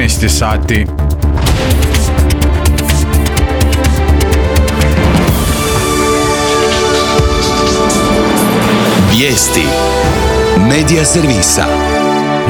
13 sati. Vijesti Medija servisa.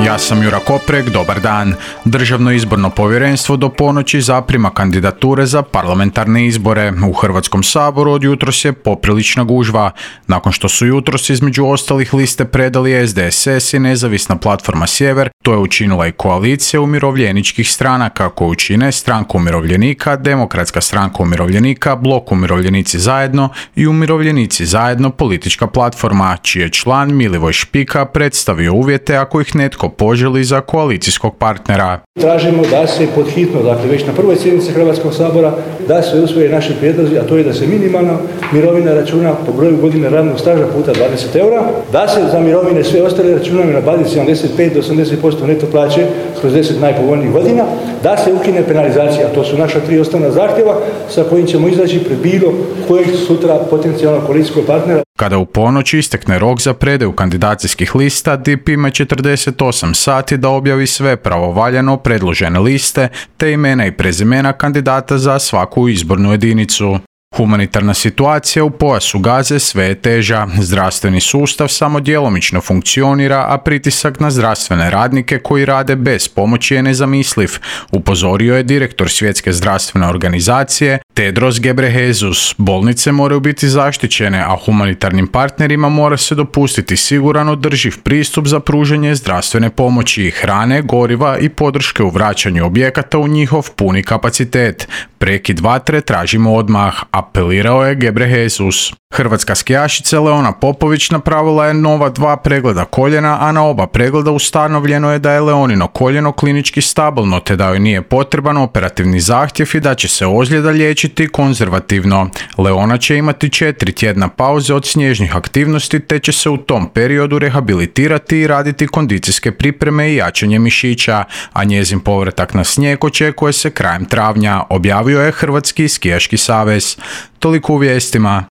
Ja sam Jura Koprek, dobar dan. Državno izborno povjerenstvo do ponoći zaprima kandidature za parlamentarne izbore. U Hrvatskom saboru od jutros je poprilična gužva. Nakon što su jutros između ostalih liste predali SDSS i Nezavisna platforma Sjever, to je učinila i koalicija umirovljeničkih stranaka koju čine Stranka umirovljenika, Demokratska stranka umirovljenika, Blok umirovljenici zajedno i Umirovljenici zajedno politička platforma, čiji je član Milivoj Špika predstavio uvjete ako ih netko poželi za koalicijskog partnera. Tražimo da se pod hitno, dakle već na prvoj sjednici Hrvatskog sabora, da se usvoje naši prijedlozi, a to je da se minimalna mirovina računa po broju godine radnog staža puta 20 eura, da se za mirovine sve ostale računaju na bazi 75 do 80% neto plaće kroz 10 najpovoljnijih godina, da se ukine penalizacija. To su naša 3 osnovna zahtjeva sa kojim ćemo izaći pred bilo kojeg sutra potencijalnog koalicijskog partnera. Kada u ponoć istekne rok za predaju kandidacijskih lista, DIP ima 48 sati da objavi sve pravovaljano predložene liste te imena i prezimena kandidata za svaku izbornu jedinicu. Humanitarna situacija u pojasu Gaze sve je teža. Zdravstveni sustav samo djelomično funkcionira, a pritisak na zdravstvene radnike koji rade bez pomoći je nezamisliv, upozorio je direktor Svjetske zdravstvene organizacije Tedros Ghebreyesus. Bolnice moraju biti zaštićene, a humanitarnim partnerima mora se dopustiti siguran održiv pristup za pružanje zdravstvene pomoći, hrane, goriva i podrške u vraćanju objekata u njihov puni kapacitet. Prekid vatre tražimo odmah, apelirao je Ghebreyesus. Hrvatska skijašica Leona Popović napravila je nova 2 pregleda koljena, a na oba pregleda ustanovljeno je da je Leonino koljeno klinički stabilno te da joj nije potreban operativni zahtjev i da će se ozljeda liječiti konzervativno. Leona će imati 4 tjedna pauze od snježnih aktivnosti te će se u tom periodu rehabilitirati i raditi kondicijske pripreme i jačanje mišića, a njezin povratak na snijeg očekuje se krajem travnja, objavio je Hrvatski skijaški savez. Toliko u vijestima.